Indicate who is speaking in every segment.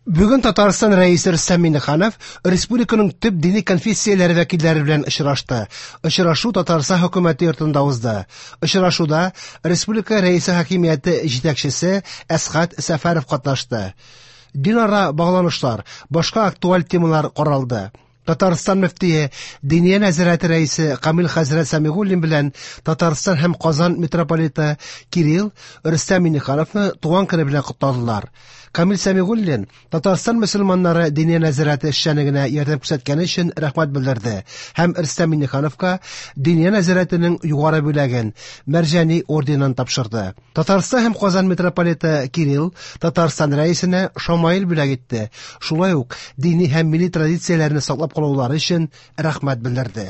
Speaker 1: Бүген Татарстан Рәисе Рөстәм Миңнеханов республиканың төп дини конфессияләре вәкилләре белән очрашты. Очрашу Татарстан хөкүмәте йортында узды. Очрашуда республика Рәисе хакимияте җитәкчесе Әсхәт Сәфәров катнашты. Динара багланышлар, башка актуаль темалар каралды. Татарстан мөфтие, Диния нәзарәте рәисе Камил хәзрәт Сәмигуллин белән Татарстан һәм Казан митрополиты Кирилл Рөстәм Миңнехановны туган көне белән котладылар. Камил Сәмигуллин Татарстан мөселманнары Диния нәзарәте эшчәнлегенә ярдәм күрсәткәне өчен рәхмәт белдерде һәм Рөстәм Миңнехановка Диния нәзарәтенең югары бүләген Мәрҗани орденын тапшырды. Татарстан һәм Казан митрополиты Кирилл Татарстан рәисенә шамаил бүләк итте. Шулай ук дини һәм милли традицияләрне саклап калулары өчен рәхмәт белдерде.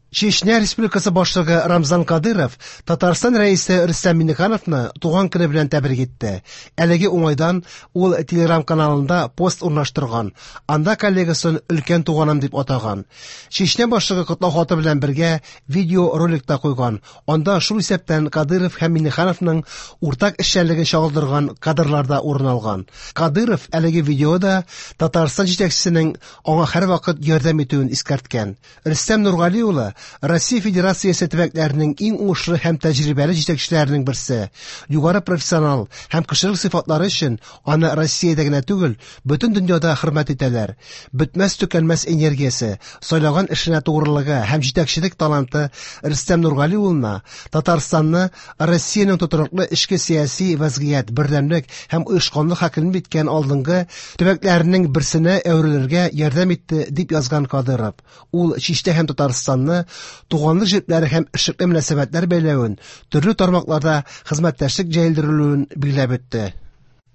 Speaker 1: Чечня Республикасы башлыгы Рамзан Кадыров Татарстан рәисе Рөстәм Миңнехановны туган көне белән тәбрик итте. Әлеге уңайдан ул Телеграм каналында пост урнаштырган. Анда коллегасын өлкән туганым дип атаган. Чечня башлыгы котлау хаты белән бергә видеоролик та куйган. Анда шул исәптән Кадыров һәм Миңнехановның уртак эшчәнлеген чагылдырган кадрлар да урын алган. Кадыров әлеге видеода Татарстан җитәкчесенең аңа һәрвакыт ярдәм итүен искәрткән. Рөстәм Нургали улы Россия Федерациясе төбәкләренең иң уңышлы һәм тәҗрибәле җитәкчеләренең берсе. Югары профессионал һәм кешелек сыйфатлары өчен аны Россиядә генә түгел, бөтен дөньяда хөрмәт итәләр. Бетмәс-төкәнмәс энергиясе, сайлаган эшенә тугрылыгы һәм җитәкчелек таланты Рөстәм Нургали улына Татарстанны Россиянең тотрыклы эчке сәяси вәзгыять, бердәмлек һәм оешканлык хакимлек иткән алдынгы төбәкләренең берсенә әверелергә ярдәм итте, дип язган Кадыров. Ул Чиштә һәм Татарстанны туганлык җепләре һәм эшлекле мөнәсәбәтләр бәйләвен, төрле тармакларда хезмәттәшлек җәелдерелүен билгеләп үтте.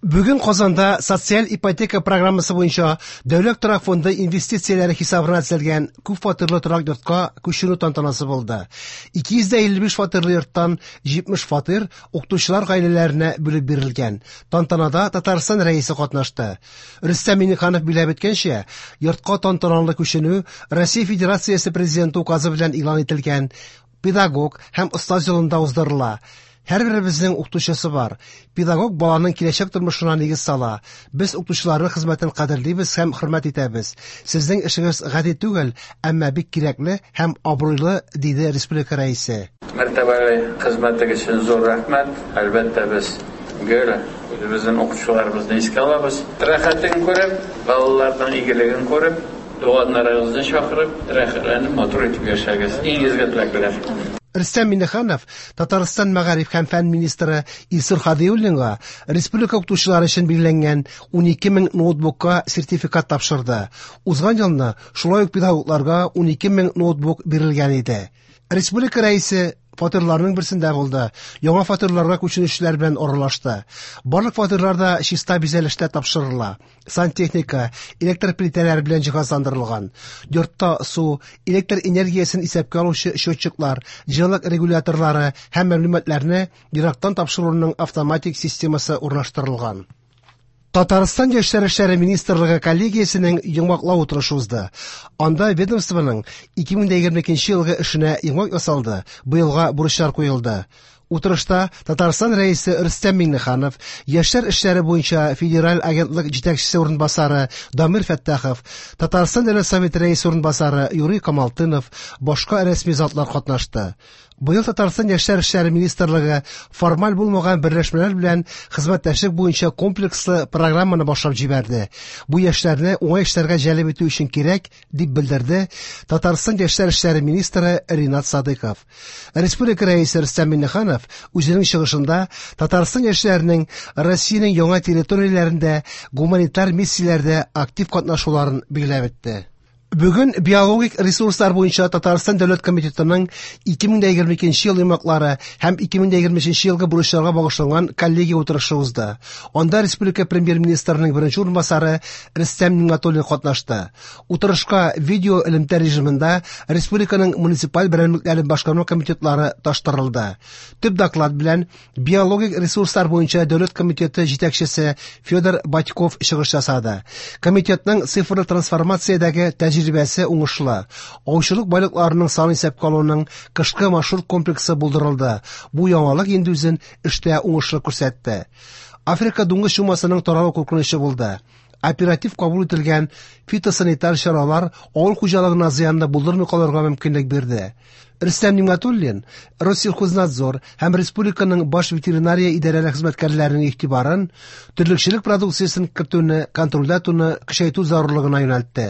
Speaker 1: Бүген Казанда социаль ипотека программасы буенча Дәүләт торак фонды инвестицияләре хисабына төзелгән күп фатирлы торак йортка күченү тантанасы булды. 255 фатирлы йорттан 70 фатир укытучылар гаиләләренә бүлеп бирелгән. Тантанада Татарстан Рәисе катнашты. Рөстәм Миңнеханов билгеләп үткәнчә, йортка тантаналы күченү Россия Федерациясе Президенты указы белән игълан ителгән педагог һәм остаз елында уздырыла. Һәрберебезнең укытучысы бар. Педагог баланың киләчәк тормышына нигез сала. Без укытучыларның хезмәтен кадерлибез һәм хөрмәт итәбез. Сезнең эшегез гади түгел, әмма бик кирәкле һәм абруйлы, диде республика Рәисе.
Speaker 2: Мәртәбәле хезмәтегез өчен зур рәхмәт. Әлбәттә, без гел үзебезнең укытучыларыбызны искә алабыз. Рәхәтен күреп, балаларның игелеген күреп, туганнарыгызны чакырып, рәхәтләнеп, матур итеп яшәгез. Иң изге теләкләр.
Speaker 1: Рөстәм Миңнеханов Татарстан мәгариф һәм фән министры Илсур Һадиуллинга республика укытучылары өчен билгеләнгән 12 мең ноутбукка сертификат тапшырды. Узган елны шулай ук педагогларга 12 мең ноутбук бирелгән иде. Республика Рәисе фатирларның берсендә булды. Яңа фатирларга күченүчеләр белән аралашты. Барлык фатирлар да чиста бизәлештә тапшырыла. Сантехника, электр плитәләре белән җиһазландырылган. Йортта су, электр энергиясен исәпкә алучы счетчиклар, җылылык регуляторлары һәм мәгълүматларны ерактан тапшыруның автоматик системасы урнаштырылган. Татарстан Яшьләр эшләре министрлыгы коллегиясенең йомгаклау утырышы узды. Анда ведомствоның 2022 елгы эшенә йомгак ясалды, быелга бурычлар куелды. Утырышта Татарстан Рәисе Рөстәм Миңнеханов, Яшьләр эшләре буенча федераль агентлык җитәкчесе урынбасары Дамир Фәттахов, Татарстан Дәүләт Советы Рәисе урынбасары Юрий Камалтынов, башка рәсми затлар катнашты. Быел Татарстан Яшьләр эшләре министрлыгы формаль булмаган берләшмәләр белән хезмәттәшлек буенча комплекслы программаны башлап җибәрде. Бу яшьләрне уңай эшләргә җәлеп итү өчен кирәк, дип белдерде Татарстан Яшьләр эшләре министры Ринат Садыков. Республика Рәисе Рөстәм Миңнеханов үзенең чыгышында Татарстан яшьләренең Россиянең яңа территорияләрендә гуманитар миссияләрдә актив катнашуларын билгеләп үтте. Бүген биологик ресурслар буенча Татарстан Дәүләт комитетының 2022 ел йомгаклары һәм 2023 елгы бурычларга багышланган коллегия утырышы узды. Анда республика премьер-министрының беренче урынбасары Рөстәм Нигъмәтуллин катнашты. Утырышка видео элемтә режимында республиканың муниципаль берәмлекләре башкарма комитетлары таштырылды. Төп доклад белән биологик ресурслар буенча Дәүләт комитеты җитәкчесе Федор Батьков чыгыш ясады. Комитетның цифрлы трансформациядәге тәҗрибәсе уңышлы. Аучылык байлыкларының сан исәпкә алуның кышкы маршрут комплексы булдырылды. Бу яңалык инде үзен эштә уңышлы күрсәтте. Африка дуңгыз чумасының таралу куркынычы булды. Оператив кабул ителгән фитосанитар чаралар авыл хуҗалыгына зыянны булдырмый калырга мөмкинлек бирде. Рөстәм Нигъмәтуллин Россельхознадзор һәм республиканың баш ветеринария идарәләре хезмәткәрләренең игътибарын терлекчелек продукциясен кертүне контрольдә тотуны көчәйтү зарурлыгына юнәлтте.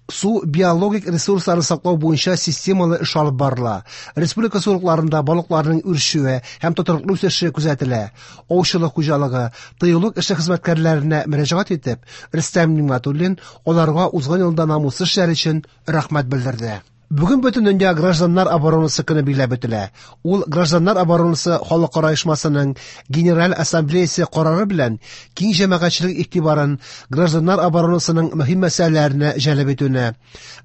Speaker 1: Су биологик ресурсларын саклау буенча системалы эш алып барыла. Республика сулыкларында балыкларның үрчүе һәм тотрыклы үсеше күзәтелә. Аучылык хуҗалыгы, тыюлык эше хезмәткәрләренә мөрәҗәгать итеп, Рөстәм Нигъмәтуллин аларга узган елда намуслы эшләре өчен рәхмәт белдерде. Бүген Бөтендөнья гражданнар оборонасы көне билгеләп үтелә. Ул Гражданнар оборонасы халыкара оешмасының Генераль ассамблеясе карары белән киң җәмәгатьчелек игътибарын гражданнар оборонасының мөһим мәсьәләләренә җәлеп итүне,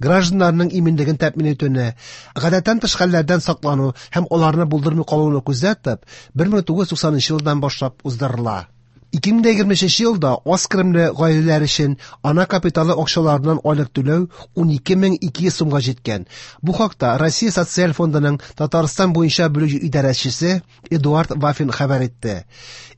Speaker 1: гражданнарның иминлеген тәэмин итүне, гадәттән тыш хәлләрдән саклану һәм аларны булдырмый калуны күздә тотып, 1990 елдан башлап уздырыла. 2023 елда аз керемле гаиләләр өчен ана капиталы акчаларыннан айлык түләү 12200 сумга җиткән. Бу хакта Россия Социаль фондының Татарстан буенча бүлек идарәчесе Эдуард Вафин хәбәр итте.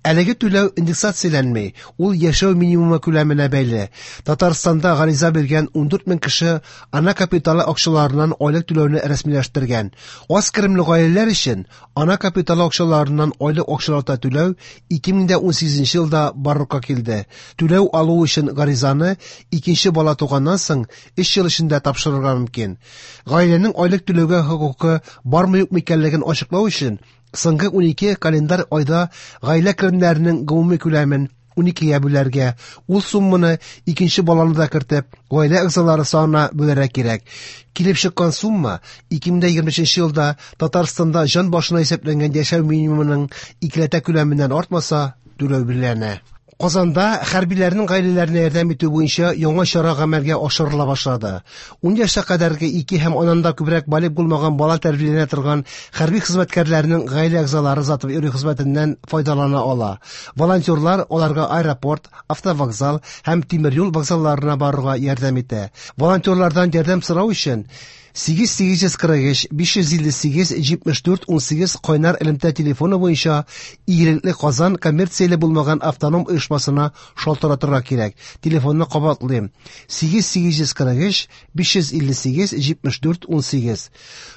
Speaker 1: Әлеге түләү индексацияләнми, ул яшәү минимумы күләменә бәйле. Татарстанда гариза биргән 14 мең кеше ана капиталы акчаларыннан айлык түләүне рәсмиләштергән. Аз керемле гаиләләр өчен ана капиталы акчаларыннан айлык акчалата түләү 2018 елда барлыкка килде. Түләү алу өчен гаризаны икенче бала туганнан соң 3 ел эчендә тапшырырга мөмкин. Гаиләнең айлык түләүгә хокукы бармы-юкмы икәнлеген ачыклау өчен соңгы 12 календарь айда гаилә керемнәренең гомуми күләмен 12-гә бүләргә, ул сумманы икенче баланы да кертеп, гаилә әгъзалары санына бүләргә кирәк. Килеп чыккан сумма 2023 елда Татарстанда җан башына исәпләнгән яшәү минимумының икеләтә күләменнән артмаса, түләү билгеләнә. Казанда хәрбиләрнең гаиләләренә ярдәм итү буенча яңа чара гамәлгә ашырыла башлады. 10 яшькә кадәрге ике һәм аннан да күбрәк балигъ булмаган бала тәрбияләнә торган хәрби хезмәткәрләрнең гаилә әгъзалары озатып йөрү хезмәтеннән файдалана ала. Волонтерлар аларга аэропорт, автовокзал һәм тимер юл вокзалларына барырга ярдәм итә. Волонтерлардан ярдәм сорау өчен 8843 558 74 18 кайнар элемтә телефоны буенча Игелекле Казан коммерцияле булмаган автоном оешмасына шалтыратырга кирәк. Телефонны кабатлыйм: 8843 558 74 18.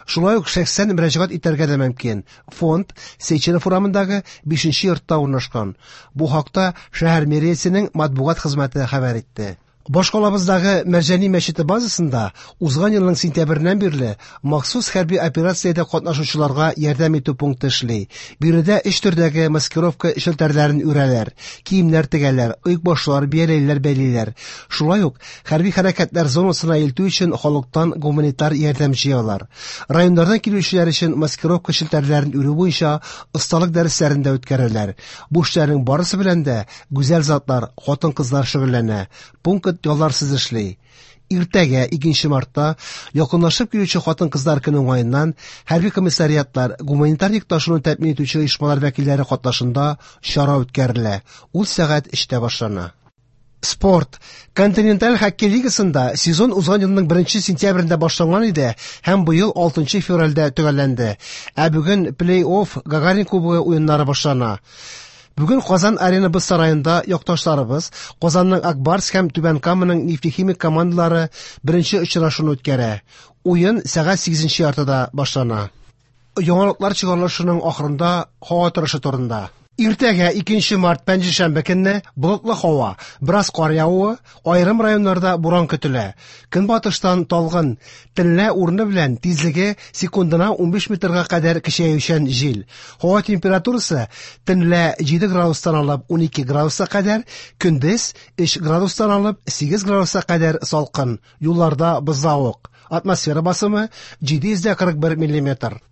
Speaker 1: Шулай ук шәхсән мөрәҗәгать итәргә дә мөмкин. Фонд Сейченов урамындагы 5 йортта урнашкан. Бу хакта шәһәр мэриясенең матбугат хезмәте хәбәр итте. Башкалабыздагы Мәрҗани мәчете базасында узган елның сентябреннән бирле махсус хәрби операциядә катнашучыларга ярдәм итү пункты эшли. Биредә өч төрдәге маскировка челтәрләрен үрәләр, киемнәр тегәләр, оекбашлар, бияләйләр бәйлиләр. Шулай ук хәрби хәрәкәтләр зонасына илтү өчен халыктан гуманитар ярдәм җыялар. Районнардан килүчеләр өчен маскировка челтәрләрен үрү буенча осталык дәресләрен дә үткәрәләр. Бу эшләрнең барысы белән дә гүзәл затлар, хатын-кызлар шөгыльләнә. Пункт ялларсыз эшли. Иртәгә 2 мартта якынлашып килүче хатын-кызлар көне уңаеннан хәрби комиссариатлар, гуманитар йөк ташуны тәэмин итүче оешмалар вәкилләре катнашында чара үткәрелә. Ул сәгать 3-тә башлана. Спорт. Континенталь хоккей лигасында сезон узган елның 1 сентябрендә башланган иде һәм быел 6 февральдә төгәлләнде. Ә бүген плей-офф Гагарин кубогы уеннары башлана. Бүген Казан Арена боз сараенда якташларыбыз Казанның Ак Барс һәм Түбән Каманың Нефтехимик командалары беренче очрашуны үткәрә. Уен сәгать 8:30-да башлана. Яңалыклар чыгарылышының ахырында һава торышы турында. Иртәгә 2 март пәнҗешәмбе көнне болытлы һава, бераз кар явуы, аерым районнарда буран көтелә. Көнбатыштан талгын, төнлә урыны белән тизлеге секундына 15 метрга кадәр көчәючән җил. Һава температурасы төнлә 7 градустан алып 12 градуска кадәр, көндез 3 градустан алып 8 градуска кадәр салкын. Юлларда бозлавык. Атмосфера басымы 741 миллиметр.